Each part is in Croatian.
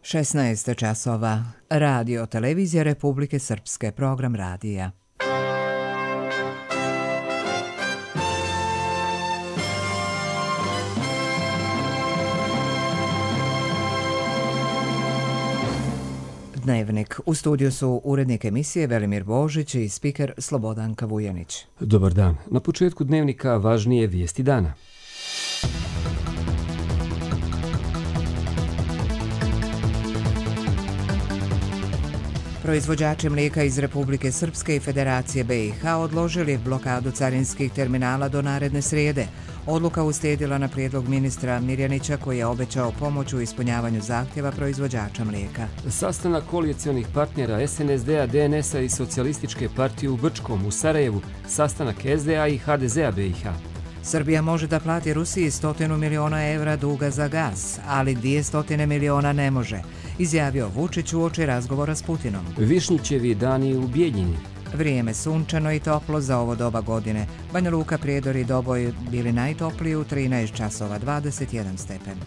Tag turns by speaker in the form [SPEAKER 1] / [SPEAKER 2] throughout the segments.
[SPEAKER 1] 16 časova. Radio Televizija Republike Srpske, program radija. Dnevnik. U studiju su urednik emisije Velimir Božić i spiker Slobodanka Vujanić.
[SPEAKER 2] Dobar dan. Na početku dnevnika važnije vijesti dana.
[SPEAKER 1] Proizvođači mlijeka iz Republike Srpske i Federacije BiH odložili blokadu carinskih terminala do naredne srijede. Odluka uslijedila na prijedlog ministra Mirjanića koji je obećao pomoć u ispunjavanju zahtjeva proizvođača mlijeka.
[SPEAKER 2] Sastanak koalicionih partnera SNSD-a, DNS-a i Socijalističke partije u Brčkom u Sarajevu, sastanak SDA i HDZ-a BiH.
[SPEAKER 1] Srbija može da plati Rusiji 100 miliona evra duga za gas, ali 200 miliona ne može, izjavio Vučić uoči razgovora s Putinom.
[SPEAKER 2] Višnjićevi dani u Bijeljini.
[SPEAKER 1] Vrijeme sunčano i toplo za ovo doba godine. Banja Luka, Prijedor i Doboj bili najtopliji u 13 časova, 21 stepen.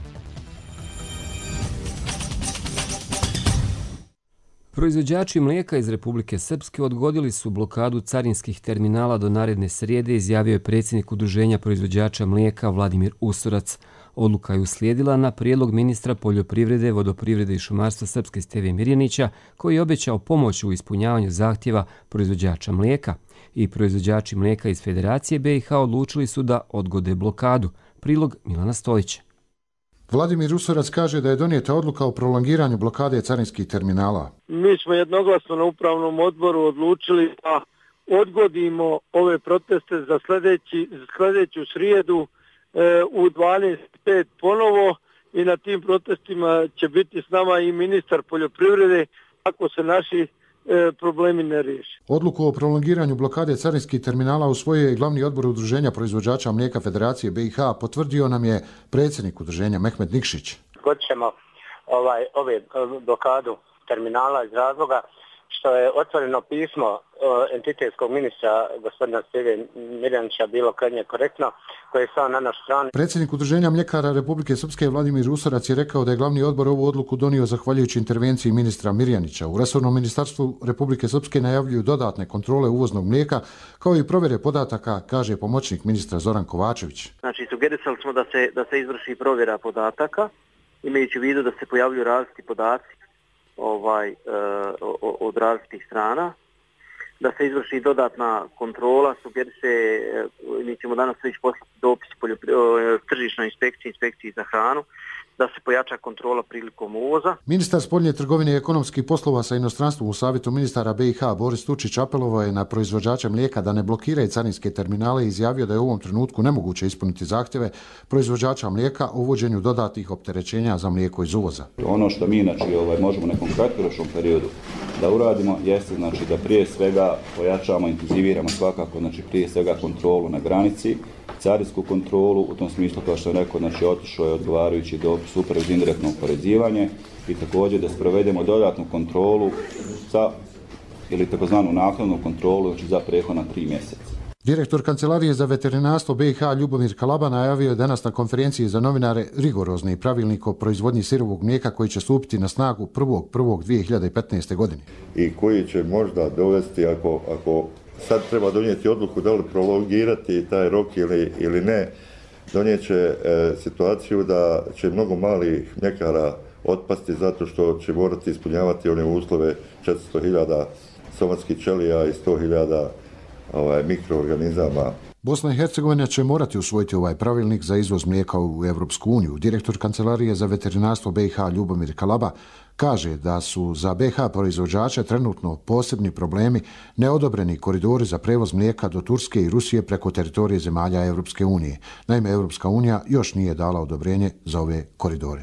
[SPEAKER 2] Proizvođači mlijeka iz Republike Srpske odgodili su blokadu carinskih terminala do naredne srijede, izjavio je predsjednik Udruženja proizvođača mlijeka Vladimir Usorac. Odluka je uslijedila na prijedlog ministra poljoprivrede, vodoprivrede i šumarstva Srpske Steve Mirjanića, koji je obećao pomoć u ispunjavanju zahtjeva proizvođača mlijeka. I proizvođači mlijeka iz Federacije BiH odlučili su da odgode blokadu. Prilog Milana Stojića.
[SPEAKER 3] Vladimir Usorac kaže da je donijeta odluka o prolongiranju blokade carinskih terminala.
[SPEAKER 4] Mi smo jednoglasno na upravnom odboru odlučili da odgodimo ove proteste za sljedeću srijedu u 12:05 ponovo i na tim protestima će biti s nama i ministar poljoprivrede ako se naši problemi ne riješi.
[SPEAKER 3] Odluku o prolongiranju blokade carinskih terminala usvojio je glavni odbor Udruženja proizvođača mlijeka Federacije BiH, potvrdio nam je predsjednik udruženja Mehmet Nikšić.
[SPEAKER 5] Odgodit ćemo ove blokadu terminala iz razloga što je otvoreno pismo entitetskog ministra gospodina Steve Mirjanića bilo krajnje korektno, koje je stao na našu stranu.
[SPEAKER 3] Predsjednik Udruženja mljekara Republike Srpske Vladimir Usorac je rekao da je glavni odbor ovu odluku donio zahvaljujući intervenciji ministra Mirjanića. U resornom ministarstvu Republike Srpske najavljuju dodatne kontrole uvoznog mlijeka kao i provjere podataka, kaže pomoćnik ministra Zoran Kovačević.
[SPEAKER 6] Znači, sugerisali smo da se izvrši provjera podataka, imajući u vidu da se pojavljuju različiti podaci od različitih strana, da se izvrši dodatna kontrola, sugeriše, mi ćemo danas već poslati dopis tržišnoj inspekciji za hranu, da se pojača kontrola prilikom uvoza.
[SPEAKER 3] Ministar spoljne trgovine i ekonomskih poslova sa inostranstvom u Savjetu ministara BiH Boris Tučić apelovao je na proizvođače mlijeka da ne blokiraju carinske terminale i izjavio da je u ovom trenutku nemoguće ispuniti zahtjeve proizvođača mlijeka o uvođenju dodatnih opterećenja za mlijeko iz uvoza.
[SPEAKER 7] Ono što mi možemo u nekom kratkoročnom periodu da uradimo jeste da prije svega pojačamo, intenziviramo svakako prije svega kontrolu na granici, carinsku kontrolu, u tom smislu kao što sam rekao, otišao je odgovarajući dopis upravo za indirektno oporezivanje i također da sprovedemo dodatnu kontrolu ili takozvanu naknadnu kontrolu za prethodna 3 mjeseca.
[SPEAKER 3] Direktor Kancelarije za veterinarstvo BiH Ljubomir Kalaba najavio je danas na konferenciji za novinare rigorozni pravilnik o proizvodnji sirovog mlijeka koji će stupiti na snagu 1.1.2015. godine.
[SPEAKER 8] I koji će možda dovesti, ako sad treba donijeti odluku da li prolongirati taj rok ili ne, donijet će situaciju da će mnogo malih mljekara otpasti zato što će morati ispunjavati one uslove 400.000 somatskih ćelija i 100.000 mikroorganizama.
[SPEAKER 3] Bosna i Hercegovina će morati usvojiti ovaj pravilnik za izvoz mlijeka u Europsku uniju. Direktor Kancelarije za veterinarstvo BiH Ljubomir Kalaba kaže da su za BiH proizvođače trenutno posebni problemi neodobreni koridori za prevoz mlijeka do Turske i Rusije preko teritorije zemalja Europske unije. Naime, Europska unija još nije dala odobrenje za ove koridore.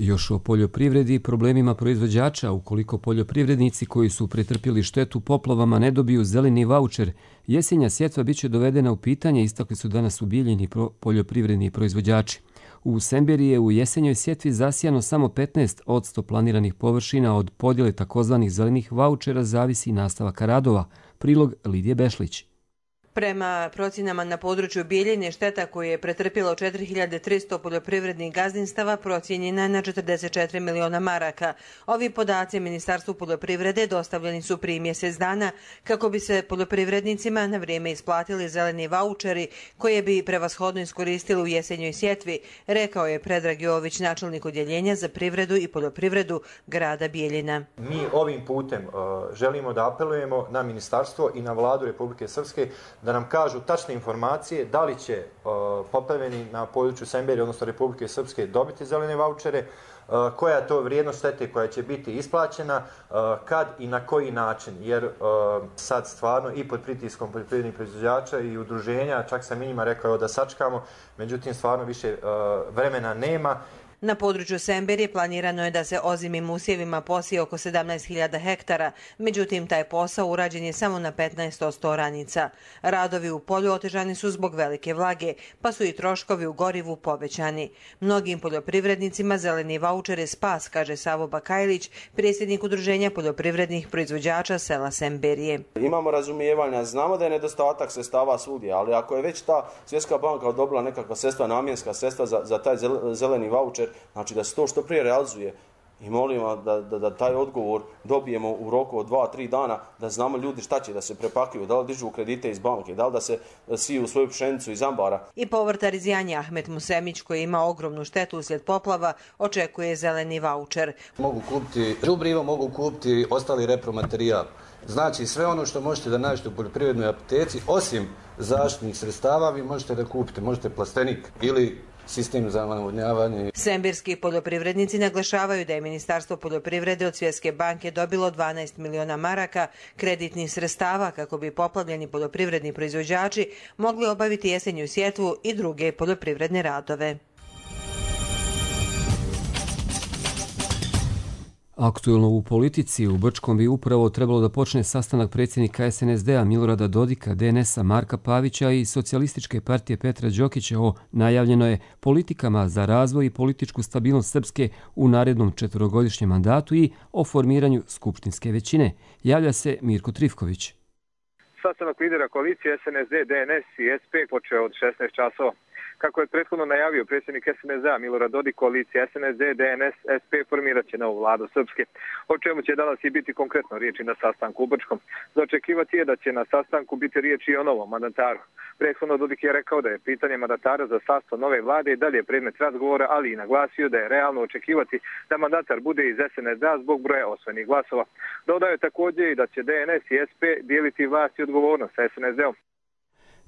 [SPEAKER 2] Još o poljoprivredi i problemima proizvođača. Ukoliko poljoprivrednici koji su pretrpjeli štetu poplavama ne dobiju zeleni vaučer, jesenja sjetva bit će dovedena u pitanje, istakli su danas u Bijeljini poljoprivredni proizvođači. U Semberiji je u jesenjoj sjetvi zasijano samo 15% planiranih površina. Od podjele takozvanih zelenih vaučera zavisi nastavak radova. Prilog Lidije Bešlić.
[SPEAKER 9] Prema procjenama na području Bijeljine, šteta koju je pretrpjelo 4300 poljoprivrednih gazdinstava procijenjena je na 44 miliona maraka. Ovi podaci Ministarstvu poljoprivrede dostavljeni su prije mjesec dana kako bi se poljoprivrednicima na vrijeme isplatili zeleni vaučeri koje bi prevashodno iskoristili u jesenjoj sjetvi, rekao je Predrag Jović, načelnik odjeljenja za privredu i poljoprivredu grada Bijeljina.
[SPEAKER 10] Mi ovim putem želimo da apelujemo na ministarstvo i na vladu Republike Srpske da nam kažu tačne informacije da li će poplavljeni na području Semberije, odnosno Republike Srpske, dobiti zelene vaučere, koja je to vrijednost štete koja će biti isplaćena, kad i na koji način, jer sad stvarno i pod pritiskom poljoprivrednih proizvođača i udruženja, čak sam i njima rekao da sačekamo, međutim stvarno više vremena nema.
[SPEAKER 9] Na području Semberije planirano je da se ozimim usjevima posije oko 17.000 hektara, međutim taj posao urađen je samo na 15% oranica. Radovi u polju otežani su zbog velike vlage, pa su i troškovi u gorivu povećani. Mnogim poljoprivrednicima zeleni vaučer je spas, kaže Savo Bakajlić, predsjednik udruženja poljoprivrednih proizvođača sela Semberije.
[SPEAKER 11] Imamo razumijevanja, znamo da je nedostatak sredstava svugdje, ali ako je već ta Svjetska banka odobrila nekakva sredstva, namjenska sredstva za taj zeleni vaučer, znači da se to što prije realizuje i molimo da taj odgovor dobijemo u roku od 2-3 dana, da znamo ljudi šta će da se prepakuju, da li dižu kredite iz banke, da li da se siju svoju pšenicu iz ambara.
[SPEAKER 9] I povrtar iz Janja Ahmet Musemić, koji ima ogromnu štetu uslijed poplava, očekuje zeleni vaučer.
[SPEAKER 12] Mogu kupiti đubrivo, mogu kupiti ostali repromaterijal. Znači sve ono što možete da nađete u poljoprivrednoj apoteci, osim zaštitnih sredstava, vi možete da kupite, možete plastenik ili sistem za navodnjavanje.
[SPEAKER 9] Sembirski poljoprivrednici naglašavaju da je Ministarstvo poljoprivrede od Svjetske banke dobilo 12 miliona maraka kreditnih sredstava kako bi poplavljeni poljoprivredni proizvođači mogli obaviti jesenju sjetvu i druge poljoprivredne radove.
[SPEAKER 2] Aktuelno u politici, u Brčkom bi upravo trebalo da počne sastanak predsjednika SNSD-a Milorada Dodika, DNS-a Marka Pavića i Socijalističke partije Petra Đokića o najavljenoj politikama za razvoj i političku stabilnost Srpske u narednom 4-godišnjem mandatu i o formiranju skupštinske većine. Javlja se Mirko Trifković.
[SPEAKER 13] Sastanak lidera koalicije SNSD, DNS i SP počeo od 16 časova. Kako je prethodno najavio predsjednik SNSD-a Milorad Dodik, koalicija SNSD, DNS, SP formirat će novu vladu Srpske. O čemu će danas i biti konkretno riječi na sastanku u Brčkom. Za očekivati je da će na sastanku biti riječi i o novom mandataru. Prethodno Dodik je rekao da je pitanje mandatara za sastav nove vlade i dalje predmet razgovora, ali i naglasio da je realno očekivati da mandatar bude iz SNSD-a zbog broja osvojenih glasova. Dodao je također i da će DNS i SP dijeliti vlast i odgovornost sa SNSD-om.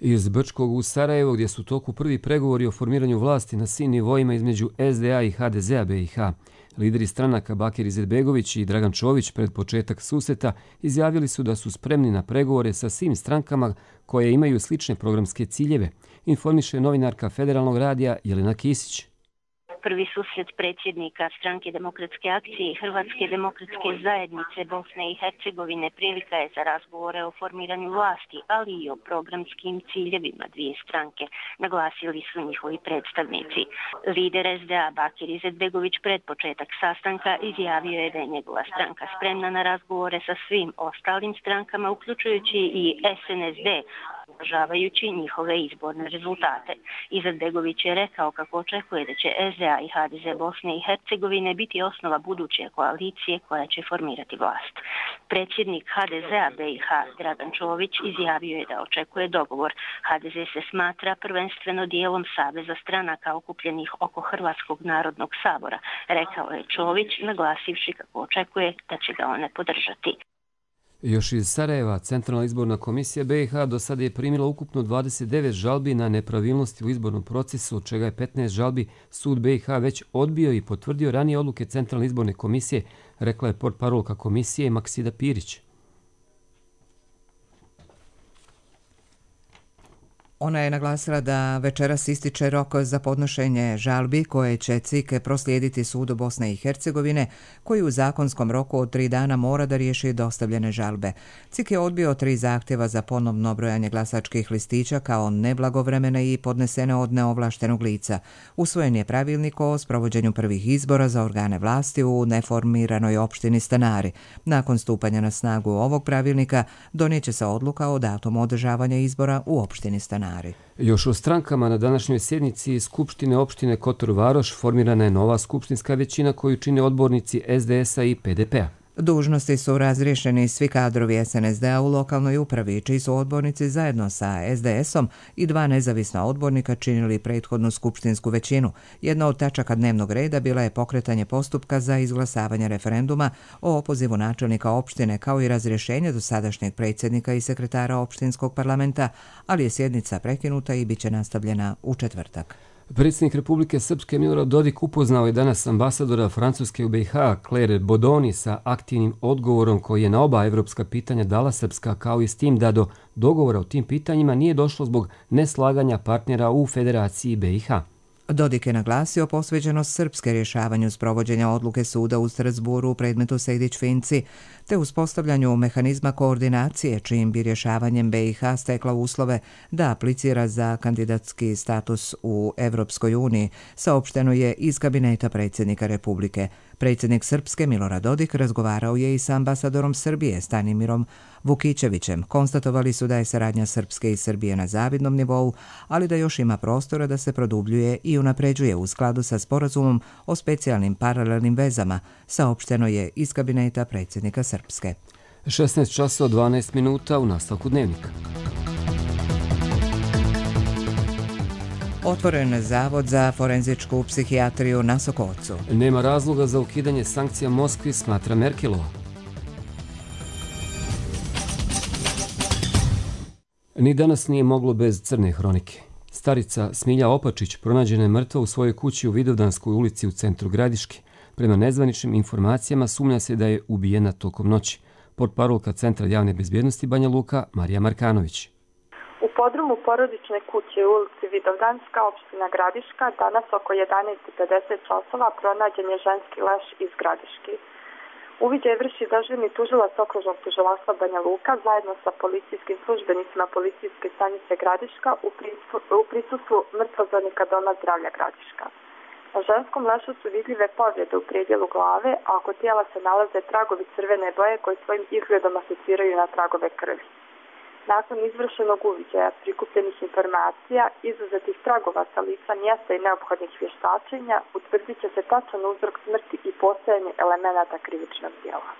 [SPEAKER 2] Iz Brčkog u Sarajevo, gdje su u toku prvi pregovori o formiranju vlasti na svim nivoima između SDA i HDZ-a BiH. Lideri stranaka Bakir Izetbegović i Dragan Čović pred početak susreta izjavili su da su spremni na pregovore sa svim strankama koje imaju slične programske ciljeve, informiše novinarka Federalnog radija Jelena Kisić.
[SPEAKER 14] Prvi susret predsjednika Stranke demokratske akcije i Hrvatske demokratske zajednice Bosne i Hercegovine prilika je za razgovore o formiranju vlasti, ali i o programskim ciljevima dvije stranke, naglasili su njihovi predstavnici. Lider SDA Bakir Izetbegović pred početak sastanka izjavio je da je njegova stranka spremna na razgovore sa svim ostalim strankama, uključujući i SNSD, uvažavajući njihove izborne rezultate. Izetbegović je rekao kako očekuje da će SDA i HDZ Bosne i Hercegovine biti osnova buduće koalicije koja će formirati vlast. Predsjednik HDZ-a BiH Dragan Čović izjavio je da očekuje dogovor. HDZ se smatra prvenstveno dijelom saveza stranaka okupljenih oko Hrvatskog narodnog sabora, rekao je Čović, naglasivši kako očekuje da će ga one podržati.
[SPEAKER 2] Još iz Sarajeva, Centralna izborna komisija BiH do sada je primila ukupno 29 žalbi na nepravilnosti u izbornom procesu, od čega je 15 žalbi sud BiH već odbio i potvrdio ranije odluke Centralne izborne komisije, rekla je portparolka komisije Maksida Pirić.
[SPEAKER 1] Ona je naglasila da večeras ističe rok za podnošenje žalbi koje će CIK proslijediti sudu Bosne i Hercegovine, koji u zakonskom roku od 3 dana mora da riješi dostavljene žalbe. CIK je odbio 3 zahtjeva za ponovno brojanje glasačkih listića kao neblagovremene i podnesene od neovlaštenog lica. Usvojen je pravilnik o sprovođenju prvih izbora za organe vlasti u neformiranoj opštini Stanari. Nakon stupanja na snagu ovog pravilnika donijet će se odluka o datumu održavanja izbora u opštini Stanari.
[SPEAKER 2] Još o strankama na današnjoj sjednici Skupštine opštine Kotor Varoš formirana je nova skupštinska većina koju čine odbornici SDS-a i PDP-a.
[SPEAKER 1] Dužnosti su razriješeni svi kadrovi SNSD-a u lokalnoj upravi, čiji su odbornici zajedno sa SDS-om i 2 nezavisna odbornika činili prethodnu skupštinsku većinu. Jedna od tačaka dnevnog reda bila je pokretanje postupka za izglasavanje referenduma o opozivu načelnika opštine kao i razrješenje dosadašnjeg predsjednika i sekretara opštinskog parlamenta, ali je sjednica prekinuta i bit će nastavljena u četvrtak.
[SPEAKER 2] Predsjednik Republike Srpske Milorad Dodik upoznao je danas ambasadora Francuske u BiH Claire Bodoni sa aktivnim odgovorom koji je na oba evropska pitanja dala Srpska, kao i s tim da do dogovora o tim pitanjima nije došlo zbog neslaganja partnera u Federaciji BiH.
[SPEAKER 1] Dodik je naglasio posvećenost Srpske rješavanju sprovođenja odluke suda u Strasburu u predmetu Sejdić-Finci, te uspostavljanju mehanizma koordinacije čijim bi rješavanjem BiH stekla uslove da aplicira za kandidatski status u Evropskoj uniji, saopšteno je iz kabineta predsjednika Republike. Predsjednik Srpske Milorad Dodik razgovarao je i sa ambasadorom Srbije Stanimirom Vukićevićem. Konstatovali su da je saradnja Srpske i Srbije na zavidnom nivou, ali da još ima prostora da se produbljuje i unapređuje u skladu sa sporazumom o specijalnim paralelnim vezama, saopšteno je iz kabineta predsjednika Srpske.
[SPEAKER 2] 16 časova 12 minuta u nastavku dnevnika.
[SPEAKER 1] Otvoren zavod za forenzičku psihijatriju na Sokocu.
[SPEAKER 2] Nema razloga za ukidanje sankcija Moskvi, smatra Merkelova. Ni danas nije moglo bez crne hronike. Starica Smilja Opačić pronađena je mrtva u svojoj kući u Vidovdanskoj ulici u centru Gradiške. Prema nezvaničnim informacijama sumnja se da je ubijena tokom noći. Portparolka Centra javne bezbjednosti Banja Luka Marija Markanović.
[SPEAKER 15] U podrumu porodične kuće u ulici Vidovdanska, opština Gradiška, danas oko 11:50 časova pronađen je ženski leš iz Gradiške. Uviđaj vrši dežurni tužilac okružnog tužilaštva Banja Luka zajedno sa policijskim službenicima policijske stanice Gradiška u prisustvu mrtvozornika Doma zdravlja Gradiška. Na ženskom lešu su vidljive povrijede u predjelu glave, a oko tijela se nalaze tragovi crvene boje koji svojim izgledom asociraju na tragove krvi. Nakon izvršenog uviđaja, prikupljenih informacija, izuzetih tragova sa lica mjesta i neophodnih vještačenja, utvrdit će se tačan uzrok smrti i postojanje elemenata krivičnog djela.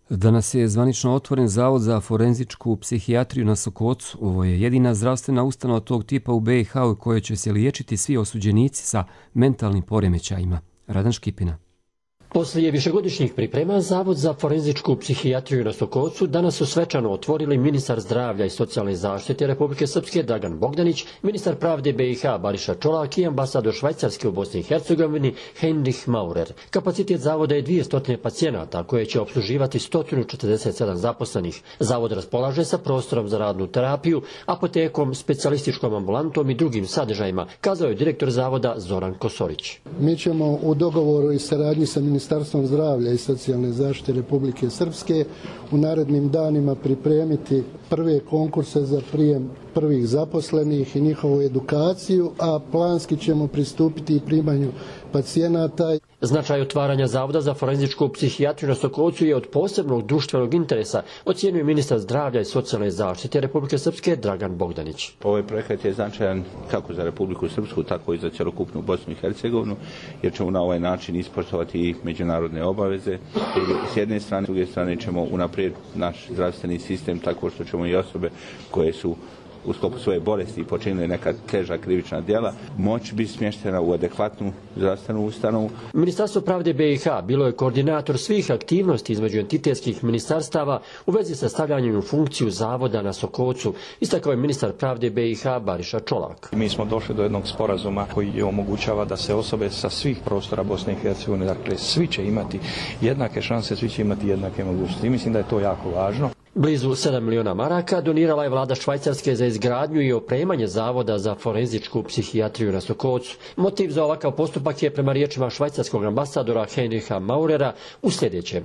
[SPEAKER 2] Danas je zvanično otvoren zavod za forenzičku psihijatriju na Sokocu. Ovo je jedina zdravstvena ustanova tog tipa u BiH u kojoj će se liječiti svi osuđenici sa mentalnim poremećajima. Radan Škipina.
[SPEAKER 16] Poslije višegodišnjih priprema, Zavod za forenzičku psihijatriju na Sokocu danas su svečano otvorili ministar zdravlja i socijalne zaštite Republike Srpske Dragan Bogdanić, ministar pravde BiH Bariša Čolak i ambasador Švajcarske u Bosni i Hercegovini Heinrich Maurer. Kapacitet zavoda je 200 pacijenata koje će opsluživati 147 zaposlenih. Zavod raspolaže sa prostorom za radnu terapiju, apotekom, specijalističkom ambulantom i drugim sadržajima, kazao je direktor zavoda Zoran Kosorić.
[SPEAKER 17] Mi ćemo u dogovoru i saradnji sa Ministarstvom zdravlja i socijalne zaštite Republike Srpske u narednim danima pripremiti prve konkurse za prijem prvih zaposlenih i njihovu edukaciju, a planski ćemo pristupiti i primanju pacijenata.
[SPEAKER 16] Značaj otvaranja Zavoda za forenzičku psihijatriju na Sokocu je od posebnog društvenog interesa, ocjenjuje ministar zdravlja i socijalne zaštite Republike Srpske Dragan Bogdanić.
[SPEAKER 18] Ovaj projekat je značajan kako za Republiku Srpsku, tako i za cjelokupnu Bosnu i Hercegovinu, jer ćemo na ovaj način ispoštovati i međunarodne obaveze. S jedne strane, s druge strane ćemo unaprijed naš zdravstveni sistem tako što ćemo i osobe koje su u sklopu svoje bolesti počinili neka teža krivična djela, moći biti smještena u adekvatnu zdravstvenu ustanovu.
[SPEAKER 16] Ministarstvo pravde BiH bilo je koordinator svih aktivnosti između entitetskih ministarstava u vezi sa stavljanjem u funkciju zavoda na Sokocu, istakao je ministar pravde BiH Bariša Čolak.
[SPEAKER 19] Mi smo došli do jednog sporazuma koji omogućava da se osobe sa svih prostora Bosne i Hercegovine, dakle svi će imati jednake šanse, svi će imati jednake mogućnosti. I mislim da je to jako važno.
[SPEAKER 16] Blizu 7 miliona maraka donirala je vlada Švajcarske za izgradnju i opremanje zavoda za forenzičku psihijatriju na Sokocu. Motiv za ovakav postupak je prema riječima švajcarskog ambasadora Heinricha Maurera u sljedećem.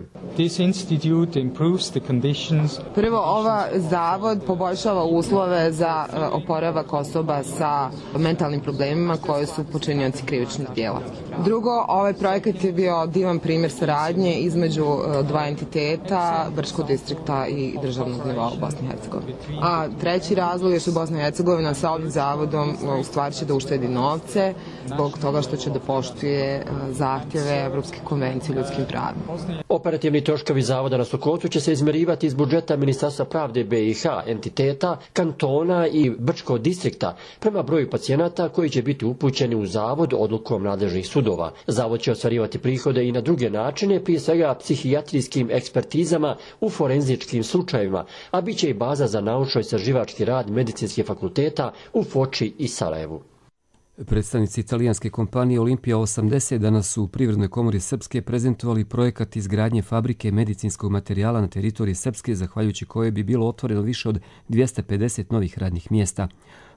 [SPEAKER 20] Prvo, ova zavod poboljšava uslove za oporavak osoba sa mentalnim problemima koje su počinioci krivičnih djela. Drugo, ovaj projekat je bio divan primjer saradnje između dva entiteta, Brčkog distrikta i državnog nivoa u Bosni i Hercegovini. A treći razlog je što Bosna i Hercegovina sa ovim zavodom u stvari će da uštedi novce zbog toga što će da poštuje zahtjeve Evropske konvencije o ljudskim pravima.
[SPEAKER 16] Operativni troškovi zavoda na Sokocu će se izmerivati iz budžeta Ministarstva pravde BiH, entiteta, kantona i Brčkog distrikta prema broju pacijenata koji će biti upućeni u zavod odlukom nadležnih sudova. Zavod će ostvarivati prihode i na druge načine, prije svega psihijatrijskim ekspertizama u forenzičkim slučajevima, a bit će i baza za naučno-istraživački rad medicinskih fakulteta u Foči i Sarajevu.
[SPEAKER 2] Predstavnici italijanske kompanije Olimpija 80 danas su u Privrednoj komori Srpske prezentovali projekat izgradnje fabrike medicinskog materijala na teritoriji Srpske, zahvaljujući koje bi bilo otvoreno više od 250 novih radnih mjesta.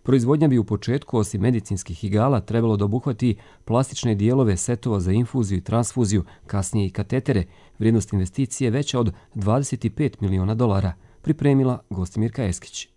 [SPEAKER 2] Proizvodnja bi u početku, osim medicinskih igala, trebalo da obuhvati plastične dijelove setova za infuziju i transfuziju, kasnije i katetere. Vrijednost investicije veća od $25 miliona, pripremila Gostimirka Eskić.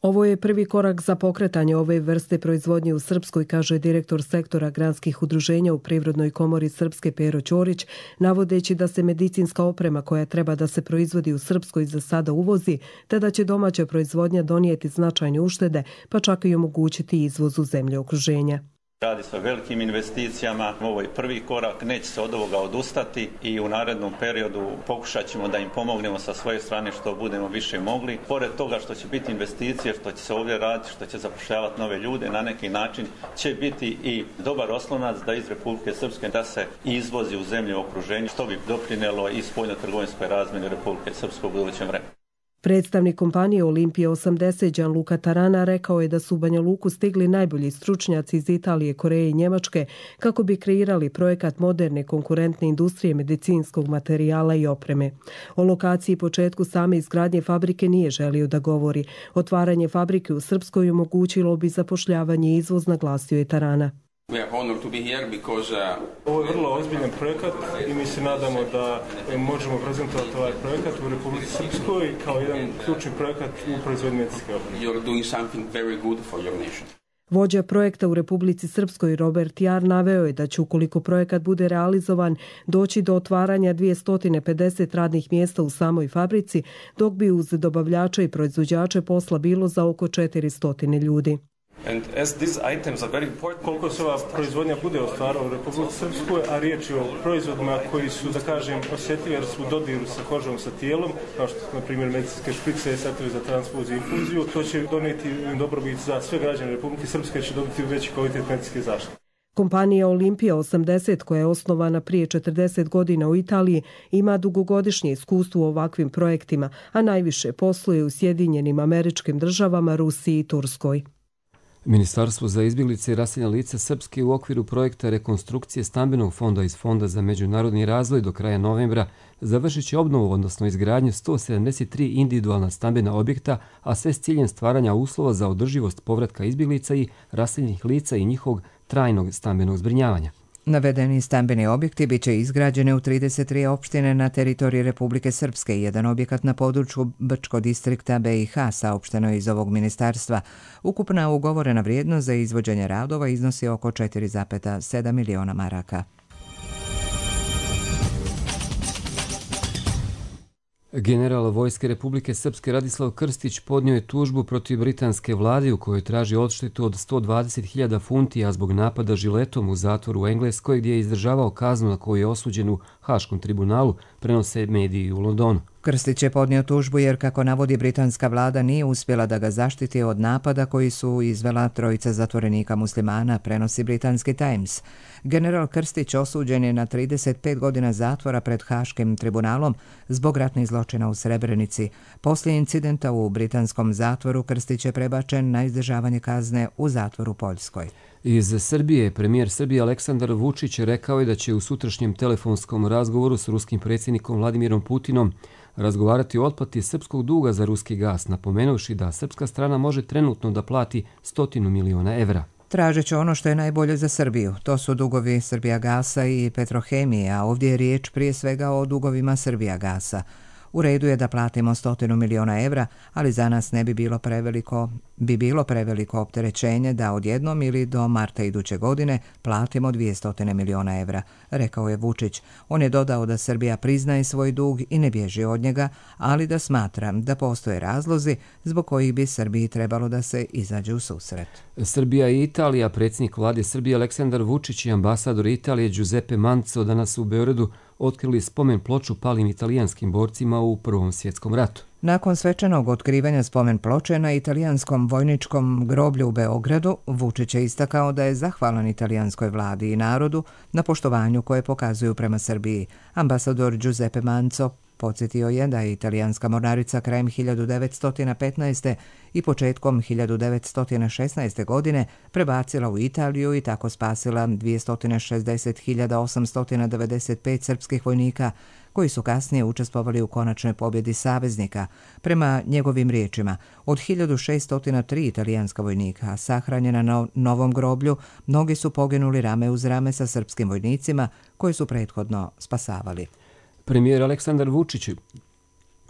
[SPEAKER 21] Ovo je prvi korak za pokretanje ove vrste proizvodnje u Srpskoj, kaže direktor sektora granskih udruženja u Privrednoj komori Srpske Pero Ćorić, navodeći da se medicinska oprema koja treba da se proizvodi u Srpskoj za sada uvozi, te da će domaća proizvodnja donijeti značajne uštede, pa čak i omogućiti izvoz u zemlje okruženja.
[SPEAKER 22] Radi se o velikim investicijama, ovo je prvi korak, neće se od ovoga odustati i u narednom periodu pokušat ćemo da im pomognemo sa svoje strane što budemo više mogli. Pored toga što će biti investicije, što će se ovdje raditi, što će zapošljavati nove ljude, na neki način će biti i dobar oslonac da iz Republike Srpske da se izvozi u zemlje okruženja, što bi doprinelo i spoljno-trgovinskoj razmjeni Republike Srpske u budućem vremenu.
[SPEAKER 21] Predstavnik kompanije Olimpija 80 Gianluca Tarana rekao je da su u Banja Luku stigli najbolji stručnjaci iz Italije, Koreje i Njemačke kako bi kreirali projekat moderne konkurentne industrije medicinskog materijala i opreme. O lokaciji i početku same izgradnje fabrike nije želio da govori. Otvaranje fabrike u Srpskoj omogućilo bi zapošljavanje i izvoz, naglasio je Tarana.
[SPEAKER 23] Ovo je vrlo ozbiljan projekat i mi se nadamo da možemo prezentovati ovaj projekat u Republici Srpskoj kao jedan ključni projekat u proizvodnji medicinske opreme.
[SPEAKER 21] Vođa projekta u Republici Srpskoj Robert Jar naveo je da će, ukoliko projekat bude realizovan, doći do otvaranja 250 radnih mjesta u samoj fabrici, dok bi uz dobavljača i proizvođače posla bilo za oko 400 ljudi.
[SPEAKER 23] Koliko se ova proizvodnja bude ostvarala u Republici Srpskoj, a riječ je o proizvodima koji su, da kažem, osjetljivi jer su u dodiru sa kožom, sa tijelom, kao što su, na primjer, medicinske šprice, setovi za transfuziju i infuziju, to će donijeti dobrobit za sve građane Republike Srpske, će dobiti veći kvalitet medicinske zaštite.
[SPEAKER 21] Kompanija Olimpija 80, koja je osnovana prije 40 godina u Italiji, ima dugogodišnje iskustvo u ovakvim projektima, a najviše posluje u Sjedinjenim Američkim Državama, Rusiji i Turskoj.
[SPEAKER 2] Ministarstvo za izbjeglice i raseljena lica Srpske u okviru projekta rekonstrukcije stambenog fonda iz Fonda za međunarodni razvoj do kraja novembra završit će obnovu, odnosno izgradnju 173 individualna stambena objekta, a sve s ciljem stvaranja uslova za održivost povratka izbjeglica i raseljenih lica i njihovog trajnog stambenog zbrinjavanja.
[SPEAKER 1] Navedeni stambeni objekti biće izgrađeni u 33 opštine na teritoriji Republike Srpske i jedan objekat na području Brčkog distrikta BiH, saopšteno je iz ovog ministarstva. Ukupna ugovorena vrijednost za izvođenje radova iznosi oko 4,7 miliona maraka.
[SPEAKER 2] General Vojske Republike Srpske Radislav Krstić podnio je tužbu protiv britanske vlade u kojoj traži odštetu od 120.000 funti, a zbog napada žiletom u zatvoru u Engleskoj gdje je izdržavao kaznu na koju je osuđen u Haškom tribunalu, prenose mediji u Londonu.
[SPEAKER 1] Krstić je podnio tužbu jer, kako navodi, britanska vlada nije uspjela da ga zaštiti od napada koji su izvela trojica zatvorenika muslimana, prenosi britanski Times. General Krstić osuđen je na 35 godina zatvora pred Haškim tribunalom zbog ratnih zločina u Srebrenici. Poslije incidenta u britanskom zatvoru Krstić je prebačen na izdržavanje kazne u zatvoru u Poljskoj.
[SPEAKER 2] Iz Srbije, premijer Srbije Aleksandar Vučić rekao je da će u sutrašnjem telefonskom razgovoru s ruskim predsjednikom Vladimirom Putinom razgovarati o otplati srpskog duga za ruski gas, napomenuvši da srpska strana može trenutno da plati 100 miliona evra.
[SPEAKER 1] Tražit će ono što je najbolje za Srbiju. To su dugovi Srbijagasa i Petrohemije, a ovdje je riječ prije svega o dugovima Srbijagasa. U redu je da platimo 100 miliona evra, ali za nas ne bi bilo preveliko opterećenje da odjednom ili do marta iduće godine platimo 200 miliona evra, rekao je Vučić. On je dodao da Srbija priznaje svoj dug i ne bježi od njega, ali da smatra da postoje razlozi zbog kojih bi Srbiji trebalo da se izađe u susret.
[SPEAKER 2] Srbija i Italija, predsjednik vlade Srbije Aleksandar Vučić i ambasador Italije Giuseppe Manzo danas u Beogradu otkrili spomen ploču palim italijanskim borcima u Prvom svjetskom ratu.
[SPEAKER 1] Nakon svečanog otkrivanja spomen ploče na italijanskom vojničkom groblju u Beogradu, Vučić je istakao da je zahvalan italijanskoj vladi i narodu na poštovanju koje pokazuju prema Srbiji. Ambasador Giuseppe Manzo podsjetio je da je italijanska mornarica krajem 1915. i početkom 1916. godine prebacila u Italiju i tako spasila 260.895 srpskih vojnika koji su kasnije učestvovali u konačnoj pobjedi saveznika. Prema njegovim riječima, od 1603 italijanska vojnika sahranjena na novom groblju, mnogi su poginuli rame uz rame sa srpskim vojnicima koji su prethodno spasavali.
[SPEAKER 2] Premijer Aleksandar Vučić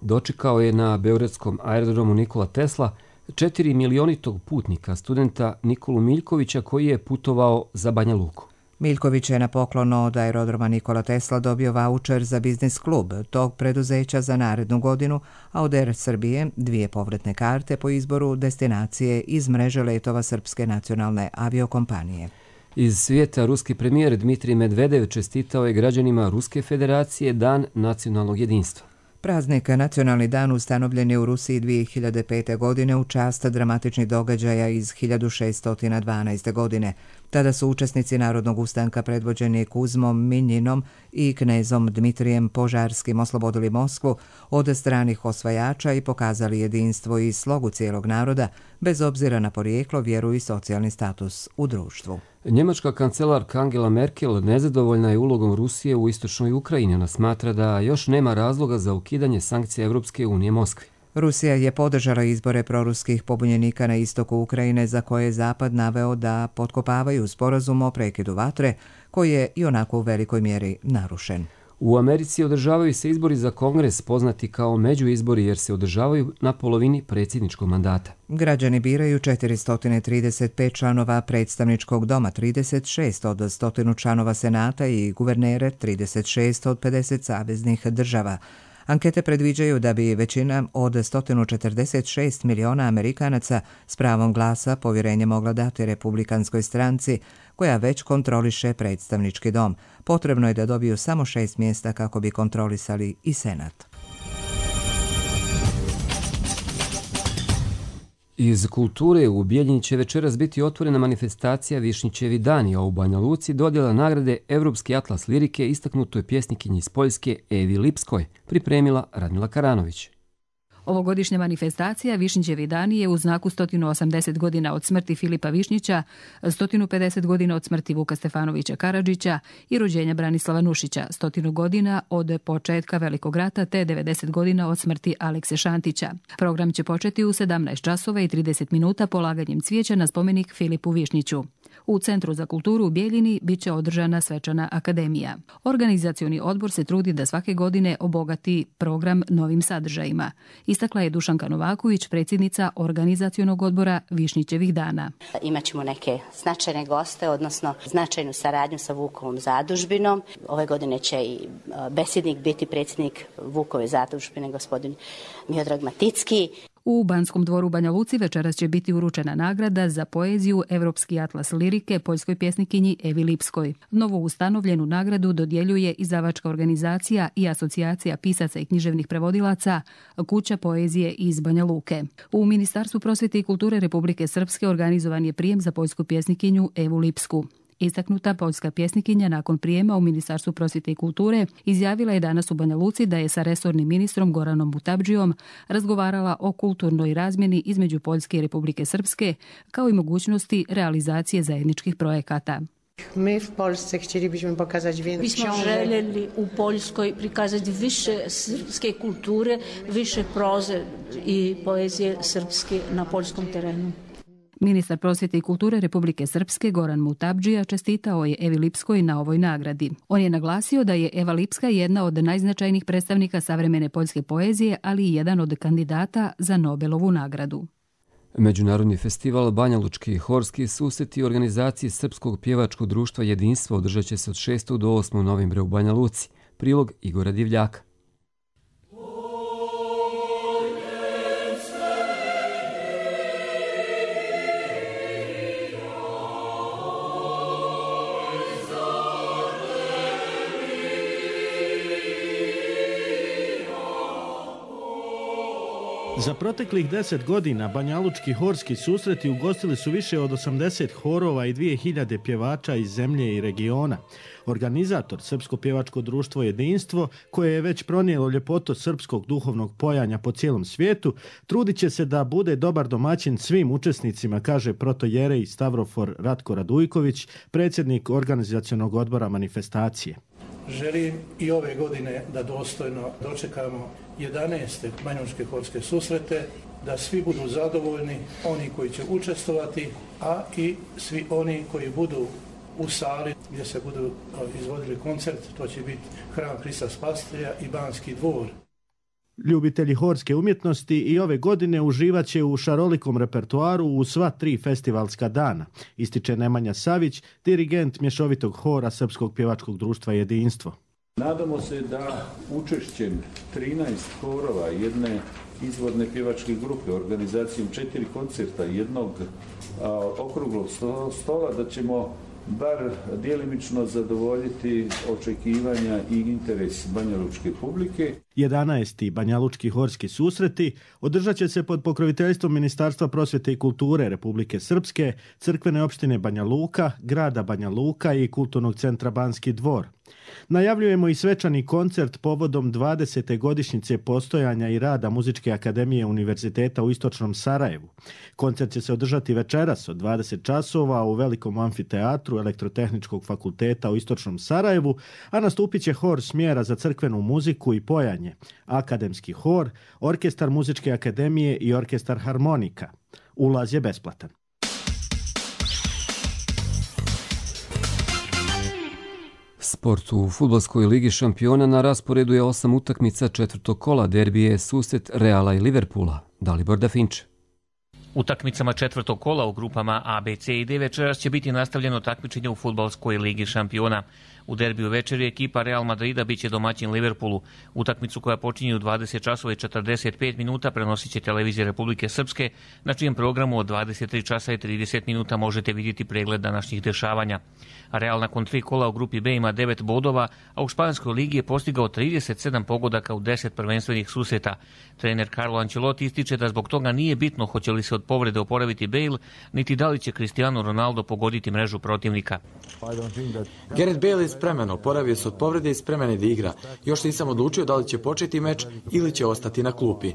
[SPEAKER 2] dočekao je na beogradskom aerodromu Nikola Tesla 4 milionitog putnika, studenta Nikolu Miljkovića koji je putovao za Banja Luku.
[SPEAKER 1] Miljković je na poklon od aerodroma Nikola Tesla dobio vaučer za biznis klub tog preduzeća za narednu godinu, a od Air Srbije 2 povratne karte po izboru destinacije iz mreže letova Srpske nacionalne aviokompanije.
[SPEAKER 2] Iz svijeta ruski premijer Dmitrij Medvedev čestitao je građanima Ruske federacije Dan nacionalnog jedinstva.
[SPEAKER 1] Praznik Nacionalni dan ustanovljen je u Rusiji 2005. godine u čast dramatičnih događaja iz 1612. godine. Tada su učesnici Narodnog ustanka predvođeni Kuzmom Minjinom i knezom Dmitrijem Požarskim oslobodili Moskvu od stranih osvajača i pokazali jedinstvo i slogu cijelog naroda, bez obzira na porijeklo, vjeru i socijalni status u društvu.
[SPEAKER 2] Njemačka kancelarka Angela Merkel nezadovoljna je ulogom Rusije u istočnoj Ukrajini. Ona smatra da još nema razloga za ukidanje sankcija Evropske unije Moskvi.
[SPEAKER 1] Rusija je podržala izbore proruskih pobunjenika na istoku Ukrajine za koje je Zapad naveo da potkopavaju sporazum o prekidu vatre, koji je i onako u velikoj mjeri narušen.
[SPEAKER 2] U Americi održavaju se izbori za Kongres, poznati kao međuizbori jer se održavaju na polovini predsjedničkog mandata.
[SPEAKER 1] Građani biraju 435 članova predstavničkog doma, 36 od 100 članova senata i guvernere 36 od 50 saveznih država. Ankete predviđaju da bi većina od 146 miliona Amerikanaca s pravom glasa povjerenje mogla dati republikanskoj stranci, koja već kontroliše predstavnički dom. Potrebno je da dobiju samo 6 mjesta kako bi kontrolisali i senat.
[SPEAKER 2] Iz kulture u Bijeljini će večeras biti otvorena manifestacija Višnjićevi dani, a u Banja Luci dodjela nagrade Evropski atlas lirike istaknutoj pjesnikinji iz Poljske Evi Lipskoj, pripremila Radmila Karanović.
[SPEAKER 4] Ovogodišnja manifestacija Višnjićevi dani je u znaku 180 godina od smrti Filipa Višnjića, 150 godina od smrti Vuka Stefanovića Karadžića i rođenja Branislava Nušića, 100 godina od početka Velikog rata te 90 godina od smrti Alekse Šantića. Program će početi u 17 časova i 30 minuta polaganjem cvijeća na spomenik Filipu Višnjiću. U Centru za kulturu u Bijeljini bit će održana svečana akademija. Organizacioni odbor se trudi da svake godine obogati program novim sadržajima. Istakla je Dušanka Novaković, predsjednica organizacionog odbora Višnjićevih dana.
[SPEAKER 5] Imaćemo neke značajne goste, odnosno značajnu saradnju sa Vukovom zadužbinom. Ove godine će i besjednik biti predsjednik Vukove zadužbine, gospodin Miodrag Maticki.
[SPEAKER 4] U Banskom dvoru Banja Luci večeras će biti uručena nagrada za poeziju Evropski atlas lirike poljskoj pjesnikinji Evi Lipskoj. Novo ustanovljenu nagradu dodjeljuje izdavačka organizacija i asocijacija pisaca i književnih prevodilaca Kuća poezije iz Banja Luke. U Ministarstvu prosvjete i kulture Republike Srpske organizovan je prijem za poljsku pjesnikinju Evu Lipsku. Istaknuta poljska pjesnikinja nakon prijema u Ministarstvu prosvjete i kulture izjavila je danas u Banja Luci da je sa resornim ministrom Goranom Mutabdžijom razgovarala o kulturnoj razmjeni između Poljske i Republike Srpske, kao i mogućnosti realizacije zajedničkih projekata.
[SPEAKER 6] My w Polsce chcielibyśmy pokazać więcej.
[SPEAKER 7] Bismo željeli u Poljskoj prikazati više srpske kulture, više proze i poezije srpske na poljskom terenu.
[SPEAKER 4] Ministar prosvjete i kulture Republike Srpske Goran Mutabdžija čestitao je Evi Lipskoj na ovoj nagradi. On je naglasio da je Eva Lipska jedna od najznačajnijih predstavnika savremene poljske poezije, ali i jedan od kandidata za Nobelovu nagradu.
[SPEAKER 2] Međunarodni festival Banja Lučki horski susreti organizaciji Srpskog pjevačkog društva Jedinstvo održat će se od 6. do 8. novembra u Banja Luci. Prilog Igora Divljaka.
[SPEAKER 8] Za proteklih 10 godina Banjalučki horski susreti ugostili su više od 80 horova i 2000 pjevača iz zemlje i regiona. Organizator Srpsko pjevačko društvo Jedinstvo, koje je već pronijelo ljepotu srpskog duhovnog pojanja po cijelom svijetu, trudit će se da bude dobar domaćin svim učesnicima, kaže protojerej Stavrofor Ratko Radujković, predsjednik organizacionog odbora manifestacije.
[SPEAKER 24] Želim i ove godine da dostojno dočekamo 11. Banjalučke horske susrete, da svi budu zadovoljni, oni koji će učestvovati, a i svi oni koji budu u sali gdje se budu izvodili koncert, to će biti Hram Hrista Spasitelja i Banski dvor.
[SPEAKER 8] Ljubitelji horske umjetnosti i ove godine uživat će u šarolikom repertoaru u sva 3 festivalska dana, ističe Nemanja Savić, dirigent mješovitog hora Srpskog pjevačkog društva Jedinstvo.
[SPEAKER 25] Nadamo se da učešćem 13 horova jedne izvorne pjevačke grupe, organizacijom 4 koncerta, jednog okruglog stola, da ćemo bar djelimično zadovoljiti očekivanja i interes banjalučke publike.
[SPEAKER 8] 11. Banjalučki horski susreti održat će se pod pokroviteljstvom Ministarstva prosvjete i kulture Republike Srpske, crkvene opštine Banja Luka, grada Banja Luka i kulturnog centra Banski dvor. Najavljujemo i svečani koncert povodom 20. godišnjice postojanja i rada Muzičke akademije Univerziteta u Istočnom Sarajevu. Koncert će se održati večeras od 20 časova u velikom amfiteatru Elektrotehničkog fakulteta u Istočnom Sarajevu, a nastupit će hor smjera za crkvenu muziku i pojanje, akademski hor, orkestar Muzičke akademije i orkestar harmonika. Ulaz je besplatan.
[SPEAKER 2] Sport u fudbalskoj ligi šampiona na rasporedu je 8 utakmica četvrtog kola, derbije susret Reala i Liverpoola. Dalibor Dafinče.
[SPEAKER 26] Utakmicama četvrtog kola u grupama A, B, C i D večeras će biti nastavljeno takmičenje u fudbalskoj ligi šampiona. U derbiju večeri ekipa Real Madrida biće domaćin Liverpoolu. Utakmicu koja počinje u 20 časova i 45 minuta prenosit će televizija Republike Srpske, na čijem programu od 23 časa i 30 minuta možete vidjeti pregled današnjih dešavanja. Real nakon 3 kola u grupi B ima 9 bodova, a u španskoj ligi je postigao 37 pogodaka u 10 prvenstvenih susreta. Trener Carlo Ancelotti ističe da zbog toga nije bitno hoće li se od povrede oporaviti Bale, niti da li će Cristiano Ronaldo pogoditi mrežu protivnika.
[SPEAKER 27] Gareth Bale je spreman, oporavio se od povrede i spreman je da igra. Još nisam odlučio da li će početi meč ili će ostati na klupi.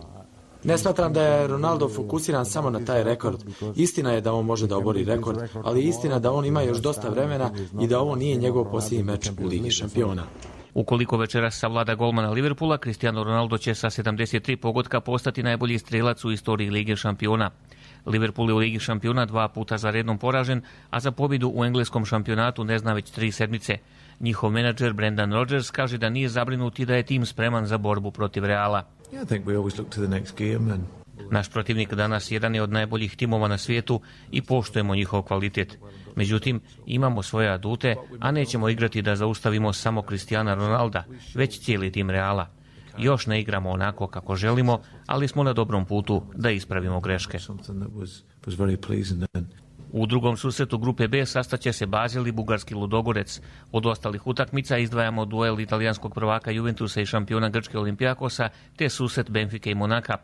[SPEAKER 27] Ne smatram da je Ronaldo fokusiran samo na taj rekord. Istina je da on može da obori rekord, ali istina da on ima još dosta vremena i da ovo nije njegov posljednji meč u Ligi šampiona.
[SPEAKER 26] Ukoliko večeras savlada golmana Liverpoola, Cristiano Ronaldo će sa 73 pogotka postati najbolji strelac u istoriji Lige šampiona. Liverpool je u Ligi šampiona 2 puta za redom poražen, a za pobjedu u engleskom šampionatu ne zna već 3 sedmice. Njihov menadžer Brendan Rodgers kaže da nije zabrinut i da je tim spreman za borbu protiv Reala. Naš protivnik danas jedan je od najboljih timova na svijetu i poštujemo njihov kvalitet. Međutim, imamo svoje adute, a nećemo igrati da zaustavimo samo Cristiana Ronalda, već cijeli tim Reala. Još ne igramo onako kako želimo, ali smo na dobrom putu da ispravimo greške. U drugom susretu grupe B sastaće se Bazil i bugarski Ludogorec. Od ostalih utakmica izdvajamo duel italijanskog prvaka Juventusa i šampiona Grčke Olimpijakosa te susret Benfike i Monaka.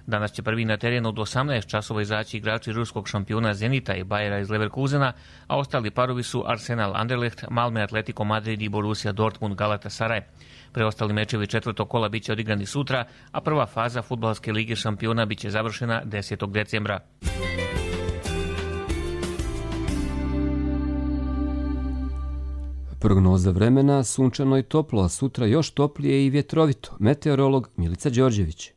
[SPEAKER 26] Danas će prvi na terenu od 18 časova izaći igrači ruskog šampiona Zenita i Bayera iz Leverkusena, a ostali parovi su Arsenal Anderlecht, Malme Atletico Madrid i Borussia Dortmund Galatasaray. Preostali mečevi četvrtog kola biće odigrani sutra, a prva faza fudbalske lige šampiona biće završena 10. decembra.
[SPEAKER 2] Prognoza vremena, sunčano i toplo, a sutra još toplije i vjetrovito. Meteorolog Milica Đorđević.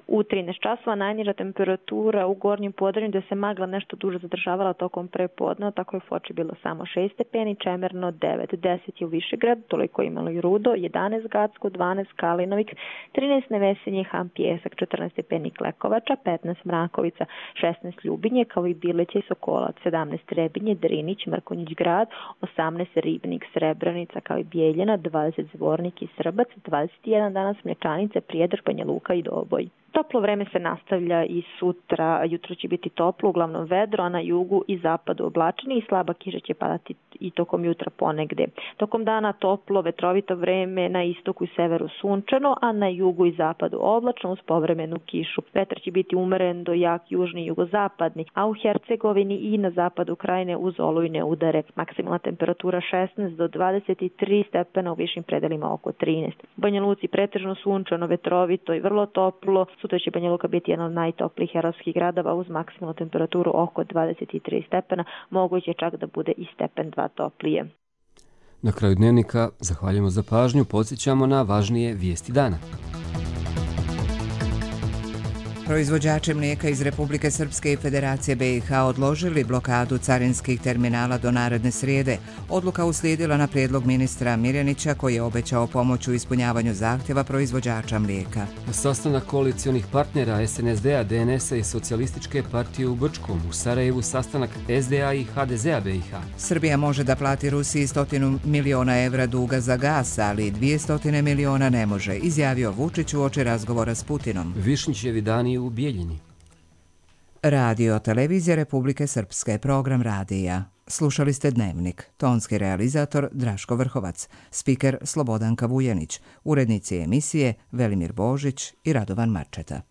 [SPEAKER 3] U 13 časova najniža temperatura u gornjem podrinju gdje se magla nešto duže zadržavala tokom prepodneva, tako je u Foči bilo samo 6 stepeni, Čemerno 9, 10 je u Višegrad, toliko je imalo i Rudo, 11 Gacko, 12 Kalinovik, 13 Nevesinje, Han Pjesak, 14 stepeni Klekovača, 15 Mrakovica, 16 Ljubinje, kao i Bileća i Sokolac, 17 Trebinje, Drinić, Mrkonjić grad, 18 Ribnik, Srebrenica, kao i Bijeljina, 20 Zvornik i Srbac, 21 danas Mlječanice, Prijedor, Banja Luka i Doboj. Toplo vreme se nastavlja i sutra. Jutro će biti toplo, uglavnom vedro, a na jugu i zapadu oblačeni i slaba kiša će padati i tokom jutra ponegde. Tokom dana toplo, vetrovito vreme, na istoku i severu sunčano, a na jugu i zapadu oblačno uz povremenu kišu. Vetar će biti umeren do jak južni i jugozapadni, a u Hercegovini i na zapadu krajine uz olujne udare. Maksimalna temperatura 16 do 23 stepena, u višim predelima oko 13. U Banja Luci pretežno sunčano, vetrovito i vrlo toplo. Sutra će Banja Luka biti jedan od najtoplijih herojskih gradova uz maksimalnu temperaturu oko 23 stepena, moguće čak da bude i stepen 2 toplije.
[SPEAKER 2] Na kraju dnevnika zahvaljujemo za pažnju, podsjećamo na važnije vijesti dana.
[SPEAKER 1] Proizvođači mlijeka iz Republike Srpske i Federacije BiH odložili blokadu carinskih terminala do naredne srijede. Odluka uslijedila na prijedlog ministra Mirjanića koji je obećao pomoć u ispunjavanju zahtjeva proizvođača mlijeka.
[SPEAKER 2] Sastanak koalicionih partnera SNSD-a, DNS-a i Socijalističke partije u Brčkom, u Sarajevu sastanak SDA i HDZ-a BiH.
[SPEAKER 1] Srbija može da plati Rusiji 100 miliona evra duga za gas, ali 200 miliona ne može, izjavio Vučić uoči razgovora s Putinom.
[SPEAKER 2] Višnjićevi dani u Bijeljini.
[SPEAKER 1] Radio Televizija Republike Srpske, program radija. Slušali ste Dnevnik. Tonski realizator Draško Vrhovac, spiker Slobodanka Vujanić, urednici emisije Velimir Božić i Radovan Marčeta.